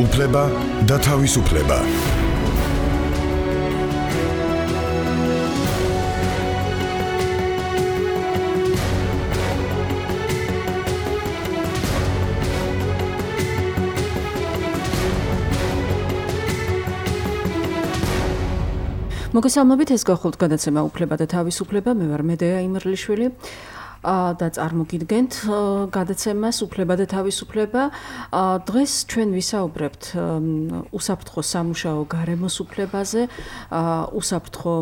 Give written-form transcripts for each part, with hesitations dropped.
უფლება და თავისუფლება. მოგესალმებით, ეს გახლავთ გადაცემა უფლება და თავისუფლება. მე ვარ მედეა იმერლიშვილი და წარმოგიდგენთ გადაცემას უფლება და თავისუფლება. დღეს ჩვენ ვისაუბრებთ უსაფრთხო სამუშაო გარემოს უფლებაზე, უსაფრთხო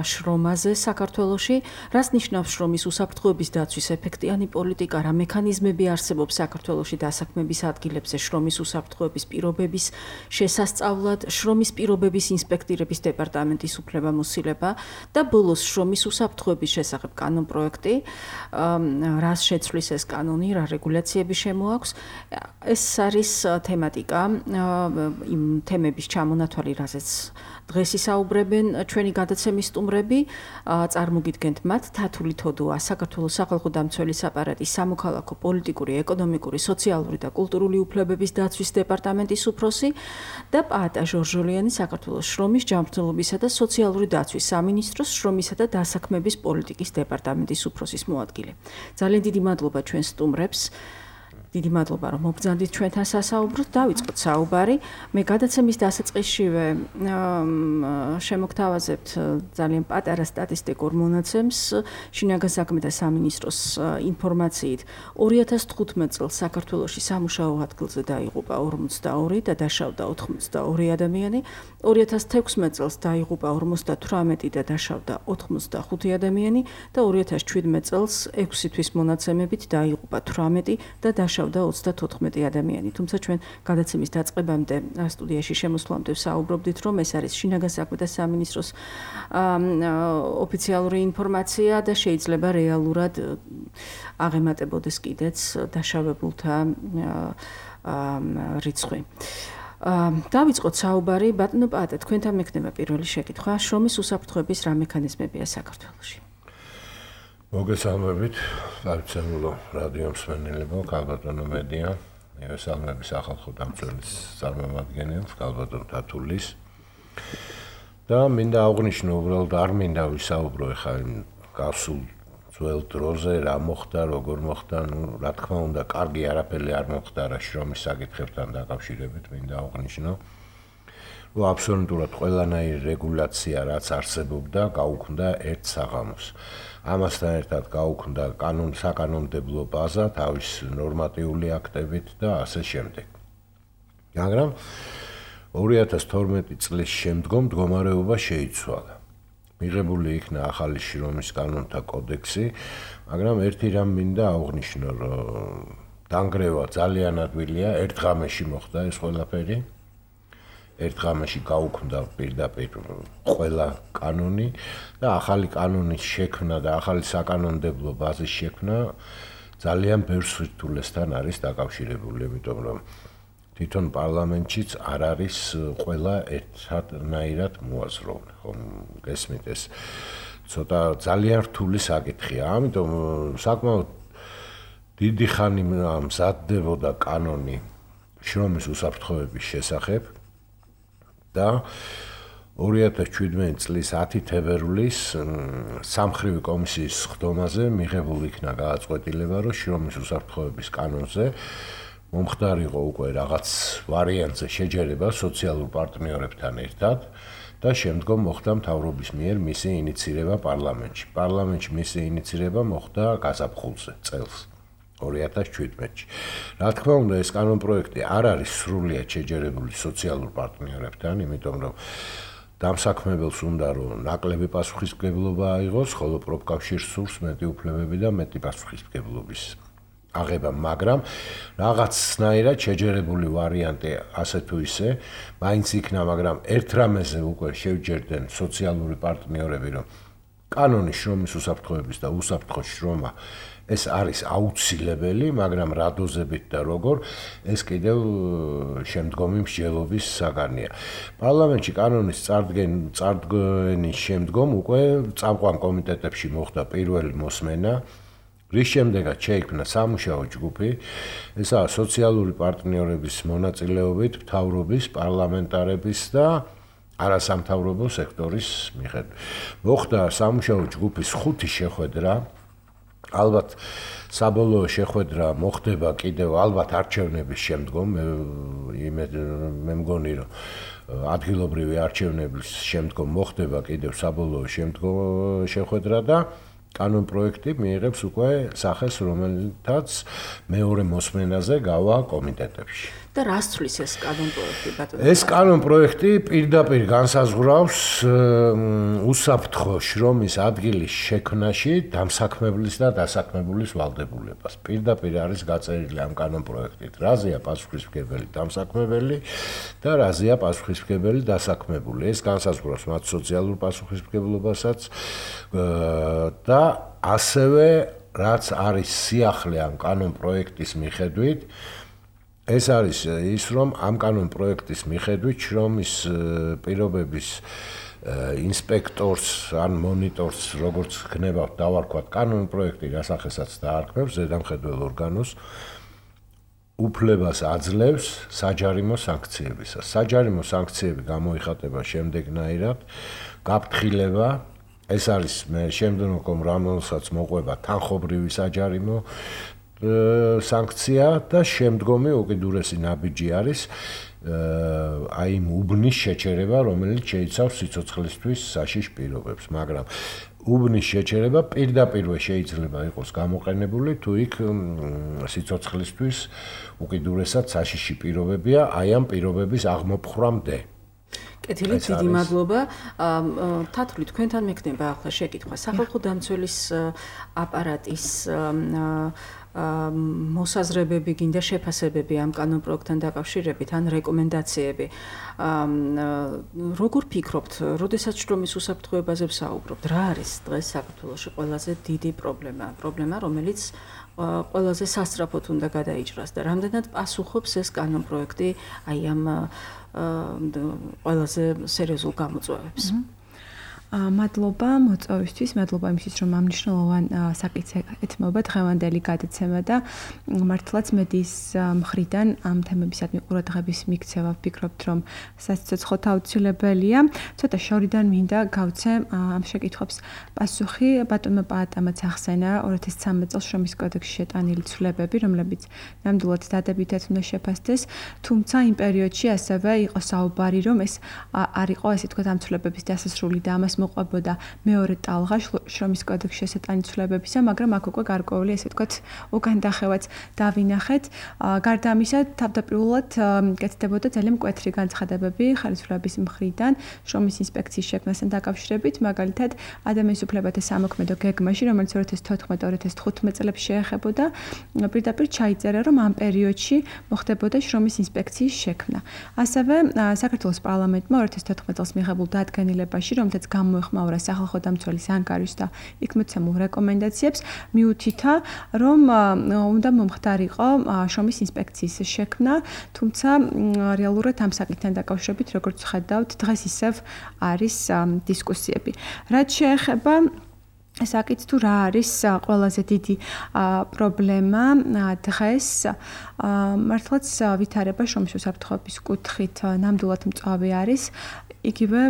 შრომაზე საქართველოში. რას ნიშნავს შრომის უსაფრთხოების დაცვის ეფექტიანი პოლიტიკა, რა მექანიზმები არსებობს საქართველოში დასაქმების ადგილებზე შრომის უსაფრთხოების პირობების შესასწავლად, შრომის პირობების ინსპექტირების დეპარტამენტის უფლებამოსილება და ბოლოს შრომის უსაფრთხოების შესახებ კანონპროექტი. რას შეცვლის ეს კანონი, რა რეგულაციები შემოაქვს. ეს არის თემატიკა, იმ თემების ჩამონათვალი, რაზეც დღეს ისაუბრებენ ჩვენი გადაცემის სტუმრები. წარმოგიდგენთ მათ: თათული თოდუა, საქართველოს სახალხო დამცველის აპარატის სამოქალაქო, პოლიტიკური, ეკონომიკური, სოციალური და კულტურული უფლებების დაცვის დეპარტამენტის უფროსი და პაატა ჟორჟოლიანი, საქართველოს შრომის, ჯანმრთელობისა და სოციალური დაცვის სამინისტროს შრომისა და დასაქმების პოლიტიკის დეპარტამენტის უფროსის მოადგილე. ძალიან დიდი მადლობა ჩვენ სტუმრებს. დიდი მადლობა, რომ მობრძანდით ჩვენთან სასაუბროთ. დავიწყოთ საუბარი. მე გადაცემის დასაწყისშივე შემოგთავაზებთ ძალიან პატარა სტატისტიკურ მონაცემს. შინაგან საქმეთა სამინისტროს ინფორმაციით 2015 წელს საქართველოში სამუშაო ადგილზე დაიღუპა 42 და დაშავდა 82 ადამიანი. 2016 წელს დაიღუპა 58 და დაშავდა 85 ადამიანი და 2017 წელს 6 თვის მონაცემებით დაიღუპა 18 და დაშავდა 34 ადამიანი. თუმცა ჩვენ გადაცემის დაწყებამდე სტუდიაში შემოსვლამდე საუბრობდით, რომ ეს არის შინაგან საქმეთა სამინისტროს ოფიციალური ინფორმაცია და შეიძლება რეალურად აღემატებოდეს კიდეც დაშავებულთა რიცხვი. დავიწყოთ საუბარი. ბატონო პაატა, თქვენთან მექნება პირველი შეკითხვა. შრომის უსაფრთხოების რა მექანიზმებია საქართველოში? მოგესალმებით, სარწმუნო რადიო მსმენელებო, ქალბატონო მედია, მივესალმები სახალხო დამცველის წარმომადგენელს, ქალბატონ თათულის. და მინდა აღვნიშნო, უბრალოდ არ მინდა ვისაუბრო ახლა გასულ ძველ დროზე, რა მოხდა, როგორ მოხდა, რა თქმა უნდა, კარგი არაფერი არ მოხდა რა შრომის საკითხებთან დაკავშირებით, მინდა აღვნიშნო. რომ აბსოლუტურად ყველანაირი რეგულაცია, რაც არსებობდა, გაუქმდა ერთ საღამოს. ამასთან ერთად გაუქმდა საკანონმდებლო ბაზა თავის ნორმატიული აქტებით და ასე შემდეგ. მაგრამ 2012 წლის შემდგომ მდგომარეობა შეიცვალა. მიღებული იქნა ახალი შრომის კანონთა კოდექსი, მაგრამ ერთი რამ მინდა აღვნიშნო, რომ დანგრევა ძალიან ადვილია, ერთ ღამეში მოხდა ეს ყველაფერი. ერთ ღამეში გაუქმდა პირდაპირ ყველა კანონი და ახალი კანონის შექმნა და ახალი საკანონმდებლო ბაზის შექმნა ძალიან ბევრ სირთულესთან არის დაკავშირებული, იმიტომ რომ თვითონ პარლამენტშიც არ არის ყველა ერთნაირად მოაზროვნე, ხომ გესმით ეს ცოტა ძალიან რთული საკითხია, ამიტომ საკმაოდ დიდი ხანი მზადდებოდა კანონი შრომის უსაფრთხოების შესახებ. და 2017 წლის 10 თებერვლის სამხრივი კომისიის ხდომაზე მიღებული იქნა გადაწყვეტილება, რომ შრომის უსაფრთხოების კანონზე მომხდარიყო უკვე რაღაც ვარიანტზე შეჯერება სოციალურ პარტნიორებთან ერთად და შემდგომ მოხდა მთავრობის მიერ მისი ინიცირება პარლამენტში. პარლამენტში მისი ინიცირება მოხდა გაზაფხულზე წელს 2017-ში. რა თქმა უნდა, ეს კანონპროექტი არ არის სრულიად შეჯერებული სოციალურ პარტნიორებთან, იმიტომ რომ დამსაქმებელს უნდა რომ ნაკლები პასუხისმგებლობა აიღოს, ხოლო პროფკავშირს სურს მეტი უფლებები და მეტი პასუხისმგებლობის აღება, მაგრამ რაღაცნაირად შეჯერებული ვარიანტი ასე თუ ისე მაინც იქნა, მაგრამ ერთ რამეზე უკვე შევჯერდნენ სოციალური პარტნიორები, რომ კანონის შრომის უსაფრთხოების და უსაფრთხო შრომა ეს არის აუცილებელი, მაგრამ რა დოზებით და როგორ, ეს კიდევ შემდგომი მსჯელობის საგანია. პარლამენტში კანონის წარდგენის შემდგომ უკვე წამყვან კომიტეტებში მოხდა პირველი მოსმენა რის შემდეგაც შეიქმნა სამუშაო ჯგუფი, ესაა სოციალური პარტნიორების მონაწილეობით, მთავრობის, პარლამენტარების და არასამთავრობო სექტორის მიხედვით. მოხდა სამუშაო ჯგუფის 5 შეხვედრა, ალბათ საბოლოო შეხვედრა მოხდება კიდევ ალბათ არჩევნების შემდგომ, მე მგონი რომ ადგილობრივი არჩევნების შემდგომ მოხდება კიდევ საბოლოო შეხვედრა და კანონპროექტი მიიღებს უკვე სახეს, რომელთაც მეორე მოსმენაზე გავა კომიტეტებში. და რას თვლის ეს კანონპროექტი, ბატონო? ეს კანონპროექტი პირდაპირ განსაზღვრავს უსაფრთხო შრომის ადგილის შექმნაში დამსაქმებლის და დასაქმებულის ვალდებულებას. პირდაპირ არის გაწერილი ამ კანონპროექტით, რაზეა პასუხისმგებელი დამსაქმებელი და რაზეა პასუხისმგებელი დასაქმებული. ეს განსაზღვრავს მათ სოციალურ პასუხისმგებლობასაც და ასევე რაც არის სიახლე ამ კანონპროექტის მიხედვით, ეს არის ის, რომ ამ კანონპროექტის მიხედვით შრომის პირობების ინსპექტორს ან მონიტორს, როგორც ხნებავთ, დავარქვათ კანონპროექტი, რასახესაც დაარქმევს ზედამხედველ ორგანოს, უფლებას აძლევს საჯარიმო სანქციებისას. საჯარიმო სანქციები გამოიხატება შემდეგნაირად: გაფრთხილება, ეს არის შემდგომ რომელსაც მოყვება თანხობრივი საჯარიმო სანქცია და შემდგომი უკიდურესი ნაბიჯი არის აი იმ უბნის შეჩერება, რომელიც შეიცავს სიცოცხლისთვის საშიშ პირობებს, მაგრამ უბნის შეჩერება პირდაპირ შეიძლება იყოს გამოყენებული, თუ იქ სიცოცხლისთვის უკიდურესად საშიში პირობებია, აი ამ პირობების აღმოფხვრამდე. კეთილი, დიდი მადლობა. თათული, თქვენთან მექნება ახლა შეკითხვა. სახალხო დამცველის აპარატის მოსაზრებები, გინდა შეფასებები ამ კანონპროექტთან დაკავშირებით, ან რეკომენდაციები. როგორ ფიქრობთ, როდესაც შრომის უსაფრთხოებაზე ვსაუბრობთ, რა არის დღეს საქართველოში ყველაზე დიდი პრობლემა, რომელიც ყველაზე სასწრაფოდ უნდა გადაიჭრას და რამდენად პასუხობს ეს კანონპროექტი აი ამ ყველაზე სერიოზულ გამოწვევებს? მადლობა მოწვევისთვის, მადლობა იმისთვის, რომ ამ მნიშვნელოვან საკითხზე ეთმობა დღევანდელი გადაცემა და მართლაც მედიის მხრიდან ამ თემებისადმი ყურადღების მიქცევა ვფიქრობთ, რომ საცოცხლოდ აუცილებელია. ცოტა შორიდან მინდა გავცე ამ შეკითხვებს პასუხი. ბატონმა პაატამაც ახსენა 2013 წელს შრომის კოდექსში შეტანილი ცვლილებები, რომლებიც ნამდვილად დადებითად უნდა შეფასდეს, თუმცა იმ პერიოდში ასევე იყო საუბარი, რომ ეს არ იყო, ესე ვთქვათ, ამ ცვლილებების დასასრული და ამას მოყვებოდა მეორე ტალღა შრომის კოდექსში შეტანილი ცვლილებებისა, მაგრამ აქ უკვე გარკვეული, ესე ვთქვათ, უკან დახევაც დავინახეთ. გარდა ამისა, თავდაპირველად კეთდებოდა ძალიან მკვეთრი განცხადებები ხელისუფლების მხრიდან შრომის ინსპექციის შექმნასთან დაკავშირებით, მაგალითად, ადამიანის უფლებათა სამოქმედო გეგმაში, რომელიც 2014-2015 წლებში შეეხებოდა, პირდაპირ ჩაიწერა, რომ ამ პერიოდში მოხდებოდა შრომის ინსპექციის შექმნა. ასევე საქართველოს პარლამენტმა 2014 წელს მიღებულ დადგენილებაში, რომელთაც გამოეხმაურა სახალხო დამცველის ანგარიშს და იქ მოცემულ რეკომენდაციებს, მიუთითა, რომ უნდა მომხდარიყო შრომის ინსპექციის შექმნა, თუმცა რეალურად ამ საკითხთან დაკავშირებით, როგორც ხედავთ, დღეს ისევ არის დისკუსიები. რაც შეეხება საკითხს, თუ რა არის ყველაზე დიდი პრობლემა დღეს, მართლაც ვითარება შრომის უსაფრთხოების კუთხით ნამდვილად მწვავე არის. იგივე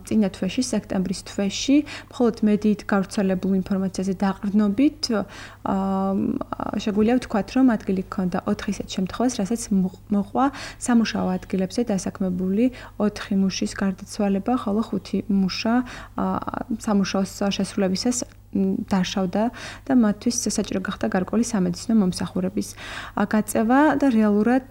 წინა თვეში, სექტემბრის თვეში, მხოლოდ მედიით გავრცელებულ ინფორმაციაზე დაყრდნობით, შეგვიძლია ვთქვათ, რომ ადგილი ჰქონდა 4 ისეთ შემთხვევას, რასაც მოყვა სამუშაო ადგილებზე დასაქმებული 4 მუშის გარდაცვალება, ხოლო 5 მუშა სამუშაოს შესრულებისას დაშავდა და მათთვის საჭირო გახდა გარკვეული სამედიცინო მომსახურების გაწევა და რეალურად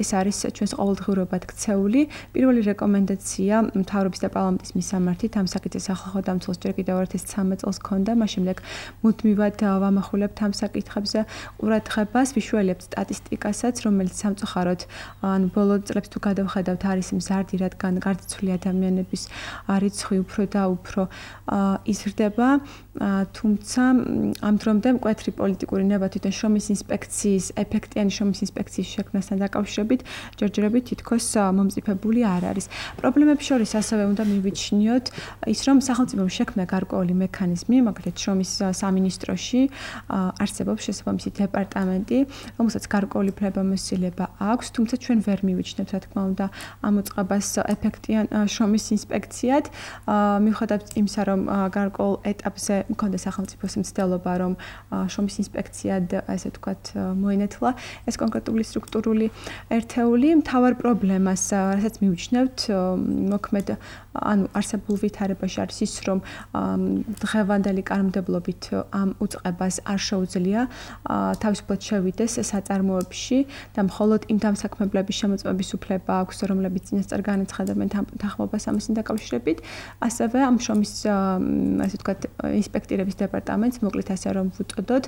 ეს არის ჩვენს ყოველდღიურობად ქცეული. პირველი რეკომენდაცია მთავრობის და პარლამენტის მისამართით ამ საკითხზე სახალხო დამცველს ჯერ კიდევ 2013 წელს ჰქონდა, მას შემდეგ მუდმივად ვამახვილებთ ამ საკითხებზე ყურადღებას, ვიშველებთ სტატისტიკასაც, რომელიც სამწუხაროდ ანუ ბოლო წლებს თუ გადავხედავთ, არის მზარდი, რადგან გარდაცვლილი ადამიანების რიცხვი უფრო და უფრო იზრდება. თუმცა ამ დრომდე მკვეთრი პოლიტიკური ნება თვითონ შრომის ინსპექციის ეფექტიანი შრომის ინსპექციის შექმნასთან დაკავშირებით ჯერჯერობით თითქოს მომწიფებული არ არის. პრობლემებს შორის ასევე უნდა მივიჩნიოთ ის, რომ სახელმწიფომ შექმნა გარკვეული მექანიზმი, მაგალითად შრომის სამინისტროში არსებობს შესაბამისი დეპარტამენტი, რომელსაც გარკვეული ფლებამოსილება აქვს, თუმცა ჩვენ ვერ მივიჩნევთ, რა თქმა უნდა, ამ უწყებას ეფექტიან შრომის ინსპექციად, მიუხედავად იმისა, რომ გარკვეულ ეტაპზე მქონდა სახელმწიფოს მცდელობა, რომ შრომის ინსპექციად, ასე ვთქვათ, მოინათლა ეს კონკრეტული სტრუქტურული ერთეული. მთავარ პრობლემას, რასაც მივიჩნევთ, მოქმედ ანუ არსებულ ვითარებაში არის ის, რომ დღევანდელი კანონმდებლობით ამ უწყებას არ შეუძლია თავისუფლად შევიდეს საწარმოებში და მხოლოდ იმ დამსაქმებლების შემოწმების უფლება აქვს, რომლებიც წინასწარ განაცხადებენ თანხმობას ამასთან დაკავშირებით. ასევე ამ შრომის ასე ვთქვათ ინსპექტირების დეპარტამენტს, მოკლედ ასე რომ ვუწოდოთ,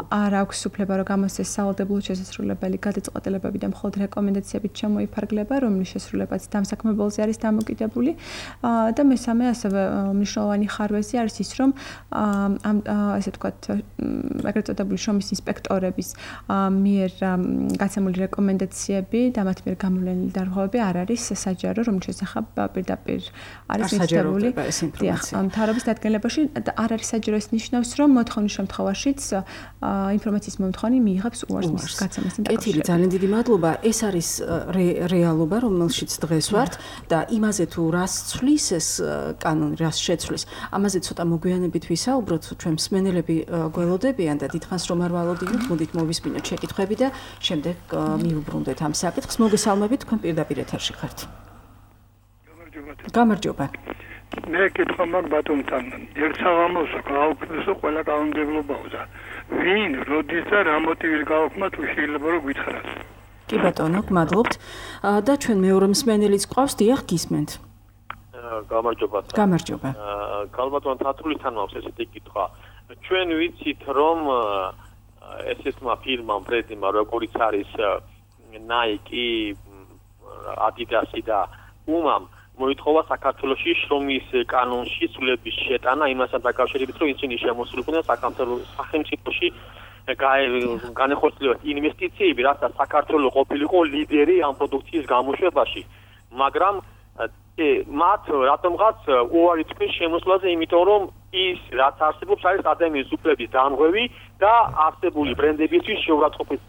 არ აქვს უფლება, რომ გამოსცეს სავალდებულო შესასრულებელი გადაწყვეტილებები და მხოლოდ რეკომენდაციებით შემოიფარგლება, რომლის შესრულებაც დამსაქმებელზე არის დამოკიდებული. და მესამე ასევე მნიშვნელოვანი ხარვეზი არის ის, რომ ამ ასე ვთქვათ ეგრეთ წოდებული შრომის ინსპექტორების მიერ გაცემული რეკომენდაციები და მათ მიერ გამოვლენილი დარღვევები არ არის საჯარო, რომლის შესახებ პირდაპირ არის მითითებული მთავრობის დადგენილებაში და არ არის საჯარო. ეს ნიშნავს, რომ მოთხოვნის შემთხვევაშიც ინფორმაციის მომთხოვნი მიიღებს უარს მის გაცემასთან დაკავშირებით. ძალიან დიდი მადლობა. ეს არის რეალობა, რომელშიც დღეს ვართ და იმაზე თუ რას ცვლის ეს კანონი, რას შეცვლის, ამაზე ცოტა მოგვიანებით ვისაუბროთ. ჩვენ მსმენელები გველოდებიან და დიდხანს რომ არ ვალოდინოთ, მოდით მოვისმინოთ შეკითხვები და შემდეგ მიუბრუნდეთ ამ საკითხს. მოგესალმებით, თქვენ პირდაპირ ეთერში ხართ. გამარჯობა. მე კითხვა მაგ ბატონთან, ერთ საღამოს გააუქმესო ყველა კანონმდებლობაო და ვინ, როდის და რა მოტივით გააუქმა, თუ შეიძლება რომ გითხრათ. კი ბატონო, გმადლობთ. და ჩვენ მეორე მსმენელიც ყავს, დიახ, გისმენთ. გამარჯობა. გამარჯობა. ქალბატონ თათრულიდან მაქვს ესეთი კითხვა. ჩვენ ვიცით, რომ ესეთმა ფირმამ, ბრენდმა, როგორც არის Nike, Adidas და Puma მოითხოვა საქართველოში შრომის კანონში სულების შეტანა იმასთან დაკავშირებით, რომ ისინი შემოსულიყვნენ სახელმწიფოში განეხორციელებათ ინვესტიციები, რათა საქართველო ყოფილიყო ლიდერი ამ პროდუქციის გამოშვებაში. მაგრამ მათ რატომღაც უარი თქვენ შემოსვლაზე, იმიტომ რომ ის რაც არსებობს არის ადამიანის უფლების დამღები და არსებული ბრენდებისთვის შეურაცხყოფის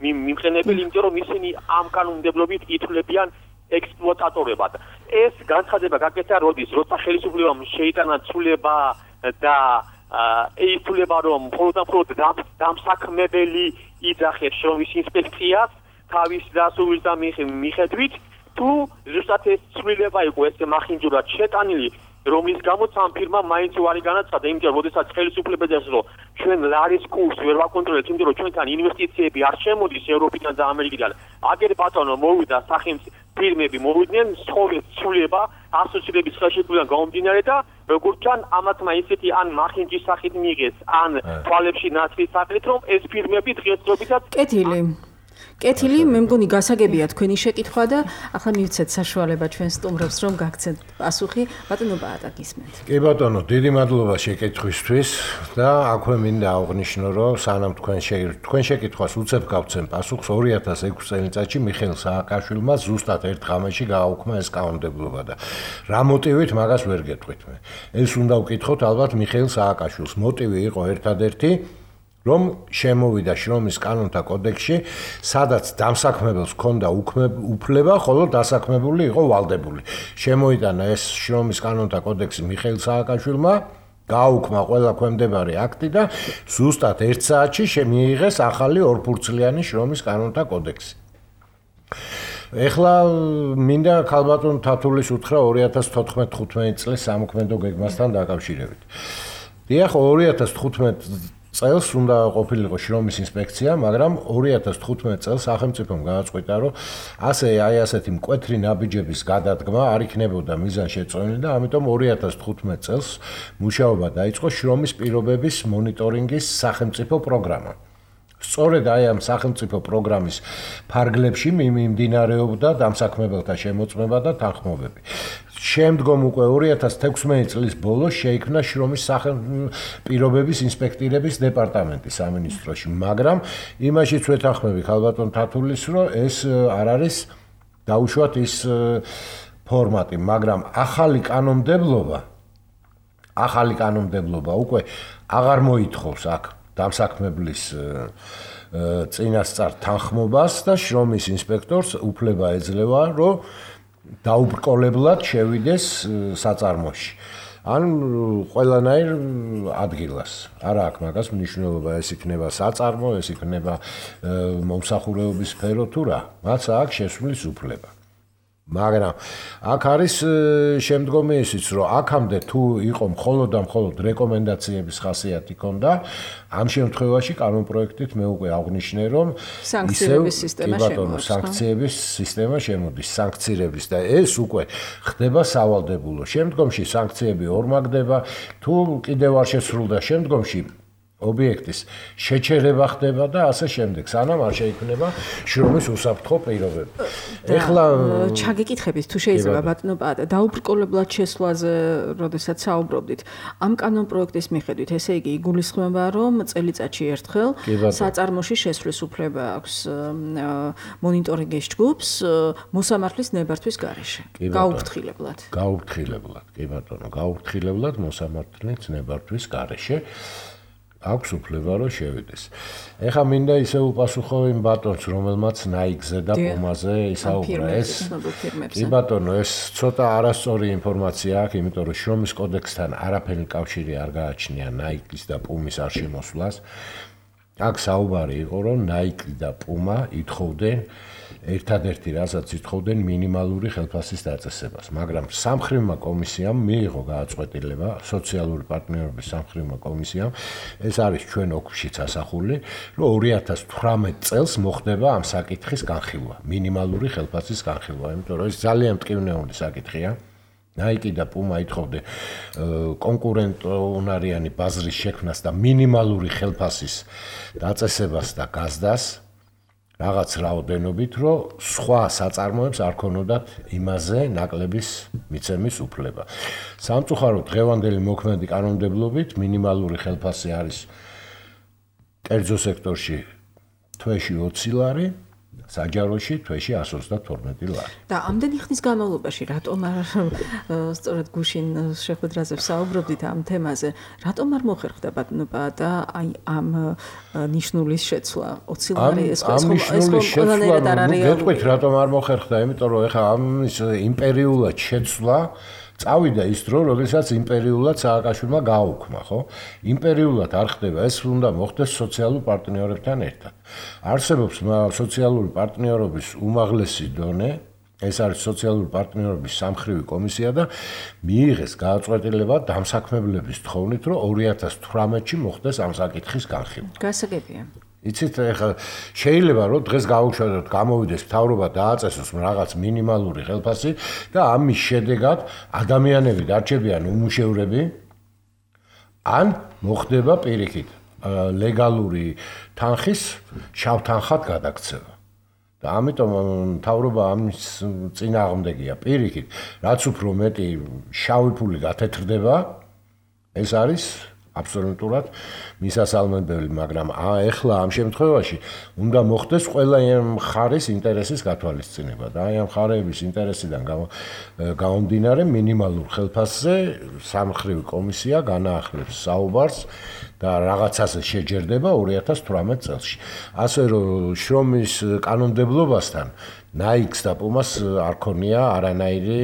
მიმყენებელი, იმიტომ რომ ისინი ამ კანონმდებლობით ითვლებიან ექსპლუატატორებად. ეს განცხადება გაკეთა როდის, როცა ხელისუფლებამ შეიტანა ცვლილება და ითვლება, რომ მხოლოდ დამსაქმებელი იძახებს შრომის ინსპექციას თავის დასაურის და მიხედვით, თუ ზუსტად ეს ცვლილება იყო ეს მახინჯურად შეტანილი, რომლის გამოც ამ ფირმამ მაინც უარი განაცხადა, იმიტომ რომ როდესაც ხელისუფლება ეძახს, რომ ჩვენ ლარის კურსს ვერ ვაკონტროლებთ, იმიტომ რომ ჩვენთან ინვესტიციები არ შემოდის ევროპიდან და ამერიკიდან. აგერ ბატონო მოვიდა სახელმწიფო ფირმები მოვიდნენ სწორედ ცვლილება ასოცირების ხელშეკრულიდან გამომდინარე და როგორც ჩან ამათმა ისეთი ან მახინჯის სახით მიიღეს, ან თვალებში ნაცრის სახით, რომ ეს ფირმები დღესდღეობითაც კეთილი, მე მგონი გასაგებია თქვენი შეკითხვა და ახლა მივცეთ საშუალება ჩვენ სტუმრებს რომ გაგცეთ პასუხი. ბატონო ბაატა გისმენთ. კი ბატონო, დიდი მადლობა შეკითხვისთვის და აქვე მინდა აღვნიშნო, რომ სანამ თქვენ შეკითხვას უცებ გავცემ პასუხს 2006 წელიწადში მიხეილ სააკაშვილმა ზუსტად ერთ ღამეში გააუქმა ეს კანონმდებლობა და რა მოტივით მაგას ვერ გეტყვით მე. ეს უნდა ვკითხოთ ალბათ მიხეილ სააკაშვილს. მოტივი იყო ერთადერთი, რომ შემოვიდა შრომის კანონთა კოდექსში, სადაც დამსაქმებელს ჰქონდა უფლება, ხოლო დასაქმებული იყო ვალდებული. შემოიტანა ეს შრომის კანონთა კოდექსი მიხეილ სააკაშვილმა, გააუქმა ყველა ქვემდებარე აქტი და ზუსტად 1 საათში შემიიღეს ახალი ორფურცლიანი შრომის კანონთა კოდექსი. ეხლა მინდა ქალბატონ თათულის უთხრა 2014-15 წლის სამოქმედო გეგმასთან დაკავშირებით. დიახ, 2015 წელს უნდა ყოფილიყო შრომის ინსპექცია, მაგრამ 2015 წელს სახელმწიფომ გააწყვიტა, რომ ასეთი მკვეთრი ნაბიჯების გადადგმა არ იქნებოდა მიზანშეწონილი და ამიტომ 2015 წელს მუშაობა დაიწყო შრომის პირობების მონიტორინგის სახელმწიფო პროგრამა. სწორედ აი ამ სახელმწიფო პროგრამის ფარგლებში მიმდინარეობდა დამსაქმებელთა შემოწმება და თანხმობები. შემდგომ უკვე 2016 წლის ბოლოს შეიქმნა შრომის პირობების ინსპექტირების დეპარტამენტი სამინისტროში, მაგრამ იმაშიც ვეთანხმები ხალბატონ თათულის, რომ ეს არ არის დაუშვათ ის ფორმატი, მაგრამ ახალი კანონმდებლობა უკვე აღარ მოითხოვს აქ დამსაქმებლის წინასწარ თანხმობას და შრომის ინსპექტორს უფლება ეძლევა, რომ დაუბრკოლებლად შევიდეს საწარმოში. ან ყველანაირ ადგილას. არა აქვს მაგას მნიშვნელობა, ეს იქნება საწარმო, ეს იქნება მომსახურეობის სფერო თუ რა. მათ აქვს შესვლის უფლება. მაგრამ აქ არის შემდგომი ისიც, რომ აქამდე თუ იყო მხოლოდ რეკომენდაციების ხასიათი ქონდა, ამ შემთხვევაში კანონპროექტით მე უკვე აღნიშნე, რომ სანქციების სისტემა შემოდის. სანქციების სისტემა შემოდის, სანქცირების და ეს უკვე ხდება სავალდებულო. შემდგომში სანქციები ორმაგდება, თუ კიდევ არ შესრულდა შემდგომში ობიექტის შეჩერება ხდება და ასე შემდეგ, სანამ არ შეიქმნება შრომის უსაფრთხო პირობები. ეხლა ჩაგიკითხებით, თუ შეიძლება ბატონო პაატა, დაუბრკოლებლად შესვლაზე, როდესაც საუბრობდით, ამ კანონპროექტის მიხედვით, ესე იგი იგულისხმება, რომ წელიწადში ერთხელ საწარმოში შესვლის უფლება აქვს მონიტორინგის ჯგუფს მოსამართლის ნებართვის გარეშე. გაუფრთხილებლად. კი ბატონო, გაუფრთხილებლად მოსამართლის ნებართვის გარეშე. აქვს უფლება რომ შევიდეს. ეხლა მინდა ისე უპასუხო იმ ბატონს, რომელმაც ნაიკზე და პუმაზე ისაუბრა. კი ბატონო, ეს ცოტა არასწორი ინფორმაცია აქვს, იმიტომ რომ შრომის კოდექსთან არაფერი კავშირი არ გააჩნია ნაიკის და პუმის არ შემოსვლას. აქ საუბარი იყო, რომ ნაიკი და პუმა ითხოვდნენ ერთადერთი რასაც ითხოვდნენ მინიმალური ხელფასის დაწესებას, მაგრამ სამხრივმა კომისიამ მიიღო გააწყვეტილება, სოციალური პარტნიორობის სამხრივმა კომისიამ, ეს არის ჩვენ ოკშიც ასახული, რომ 2018 წელს მოხდება ამ საკითხის განხილვა, მინიმალური ხელფასის განხილვა, იმიტომ რომ ეს ძალიან მტკივნეული საკითხია. ნაიკი და პუმა ითხოვდნენ კონკურენტუნარიანი ბაზრის შექმნას და მინიმალური ხელფასის დაწესებას და გაზდას. რაღაც რაოდენობით, რომ სხვა საწარმოებს არ ქონოდათ იმაზე ნაკლების მიცემის უფლება. სამწუხაროდ დღევანდელი მოქმედი კანონმდებლობით მინიმალური ხელფასი არის კერძო სექტორში თვეში 20 ლარი, საჯაროში თვეში 132 ლარი. და ამდენი ხნის განმავლობაში რატომ არ სწორედ გუშინ შეხვედრაზე ვსაუბრობდით ამ თემაზე, რატომ არ მოხერხდა ბატონო პაატა აი ამ ნიშნულის შეცვლა 20 ლარი ეს ყველანაირად არ არის. გეტყვით რატომ არ მოხერხდა, იმიტომ რომ ეხლა ამ იმპერიულად შეცვლა წავიდა ის დრო, როდესაც იმპერიულად სააკაშვილმა გააუქმა, ხო? იმპერიულად არ ხდება, ეს უნდა მოხდეს სოციალურ პარტნიორებთან ერთად. არსებობს სოციალური პარტნიორობის უმაღლესი დონე, ეს არის სოციალური პარტნიორობის სამხრივი კომისია და მიიღეს გააწყვეტილება დამსაქმებლების თხოვნით, რომ 2018-ში მოხდეს ამ საკითხის განხილვა. გასაგებია. იცით, ეხლა შეიძლება რომ დღეს გავუშვათ, გამოვიდეს მთავრობა დააწესოს რაღაც მინიმალური ხელფასი და ამის შედეგად ადამიანები დარჩებიან უმუშევრები, ან მოხდება პირიქით ლეგალური თანხის შავ თანხად გადაქცევა. და ამიტომ მთავრობა ამის წინააღმდეგია პირიქით, რაც უფრო მეტი შავი ფული გათეთრდება, ეს არის აბსოლუტურად მისასალმებელი, მაგრამ ეხლა ამ შემთხვევაში უნდა მოხდეს ყველა მხარის ინტერესის გათვალისწინება და აი ამ მხარეების ინტერესიდან გამომდინარე მინიმალურ ხელფასზე სამხრივი კომისია განაახლებს საუბარს და რაღაცაზე შეჯერდება 2018 წელს. ასე რომ შრომის კანონმდებლობასთან ნაიქს და პუმას არ ქონია არანაირი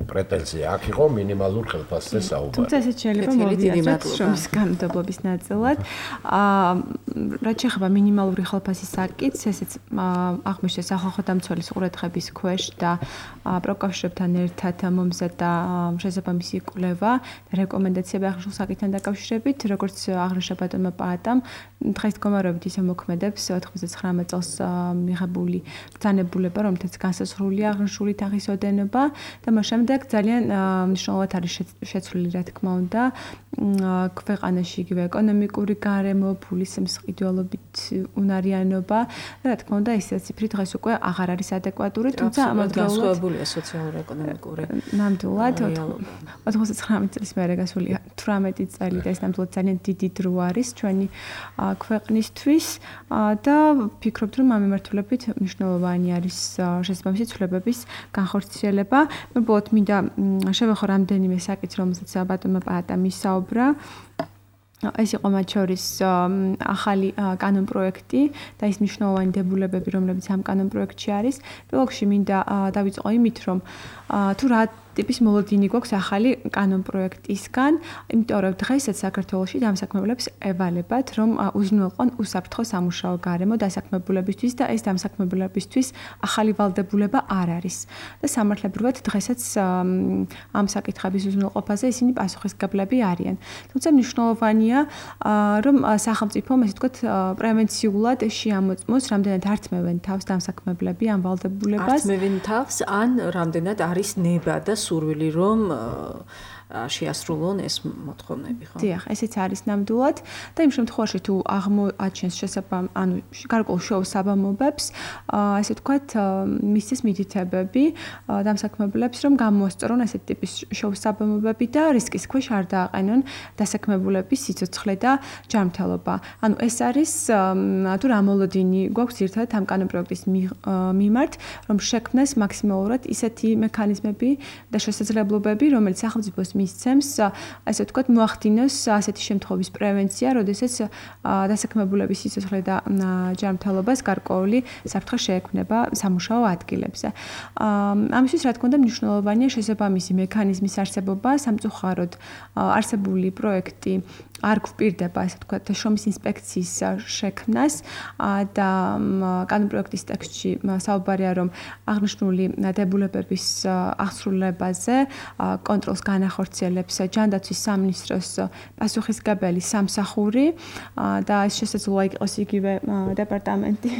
პრეტენზია. აქ იყო მინიმალურ ხელფასზე საუბარი. თუმცა ესეც შეიძლება მოვიაზროთ შრომის კანონმდებლობის ნაწილად. რაც შეეხება მინიმალური ხელფასის საკითხს, ესეც აღმოჩნდა სახალხო დამცველის ყურადღების ქვეშ და პროკავშირებთან ერთად მომზადდა შესაბამისი კვლევა და რეკომენდაციები აღნიშნულ საკითხთან დაკავშირებით, როგორც აღნიშნა ბატონმა პაატამ, დღეს მდგომარეობით ისე მოქმედებს 99 წელს მიღებული ბრძანებულება, რომელთაც განსაზღვრულია აღნიშნული თაღის ოდენობა და მას შემდეგ ძალიან მნიშვნელოვნად არის შეცვლილი, რა თქმა უნდა, ქვეყანაში იგივე ეკონომიკური გარემო, ფულის მსყიდველობით უნარიანობა და რა თქმა უნდა, ეს ციფრი დღეს უკვე აღარ არის ადეკვატური, თუმცა ამავდროულად სოციალურ-ეკონომიკური ნამდვილად 99 წლის მერე გასული 18 წელი და ეს ნამდვილად ძალიან დიდი დრო არის ჩვენი ქვეყნისთვის და ვფიქრობთ, რომ ამ მიმართულებით მნიშვნელოვანი არის შესაბამისი ცვლილებების განხორციელება. უბრალოდ მინდა შევეხო რამდენიმე საკითხს, რომელსაც ბატონმა პაატამ ისაუბრა. ეს იყო მათ შორის ახალი კანონპროექტი და ის მნიშვნელოვანი დებულებები, რომლებიც ამ კანონპროექტში არის. პირველ რიგში მინდა დავიწყო იმით, რომ თუ რა ტიპის მოლოდინი გვაქვს ახალი კანონპროექტისგან, იმიტომ რომ დღესაც საქართველოში დამსაქმებლებს ევალებათ, რომ უზრუნველყონ უსაფრთხო სამუშაო გარემო დასაქმებულებისთვის და ეს დამსაქმებულებისთვის ახალი ვალდებულება არ არის. და სამართლებრივად დღესაც ამ საკითხების უზრუნველყოფაზე ისინი პასუხისმგებლები არიან. თუმცა მნიშვნელოვანია, რომ სახელმწიფომ, ესე ვთქვათ, პრევენციულად შეამოწმოს, რამდენად ართმევენ თავს დამსაქმებლები ამ ვალდებულებას. ართმევენ თავს ან რამდენად არის ნება და სურვილი რომ შეასრულონ ეს მოთხოვნები, ხო? დიახ, ესეც არის ნამდვილად და იმ შემთხვევაში თუ აღმოაჩენს ანუ გარკვეულ შოუსაბამობებს, ასე ვთქვათ, მისცეს მითითებები დამსაქმებლებს, რომ გამოასწორონ ესეთ ტიპის შოუსაბამობები და რისკის ქვეშ არ დააყენონ დასაქმებულების სიცოცხლე და ჯანმრთელობა. ანუ ეს არის თუ რა მოლოდინი გვაქვს ერთად ამ კანონპროექტის მიმართ, რომ შექმნას მაქსიმალურად ისეთი მექანიზმები და შესაძლებლობები, რომელიც სახელმწიფოს მისცემს, ასე ვთქვათ, მოახდინოს ასეთი შემთხვევების პრევენცია, როდესაც დასაქმებულების სიცოცხლე და ჯანმრთელობას გარკვეული საფრთხე შეექმნება სამუშაო ადგილებზე. ამისთვის, რა თქმა უნდა, მნიშვნელოვანია შესაბამისი მექანიზმის არსებობა, სამწუხაროდ არსებული პროექტი არ გვპირდება, ასე ვთქვათ, შრომის ინსპექციის შექმნას და კანონპროექტის ტექსტში საუბარია, რომ აღნიშნული დებულებების აღსრულებაზე კონტროლს განახორციელებს ჯანდაცვის სამინისტროს პასუხისმგებელი სამსახური და ეს შესაძლოა იყოს იგივე დეპარტამენტი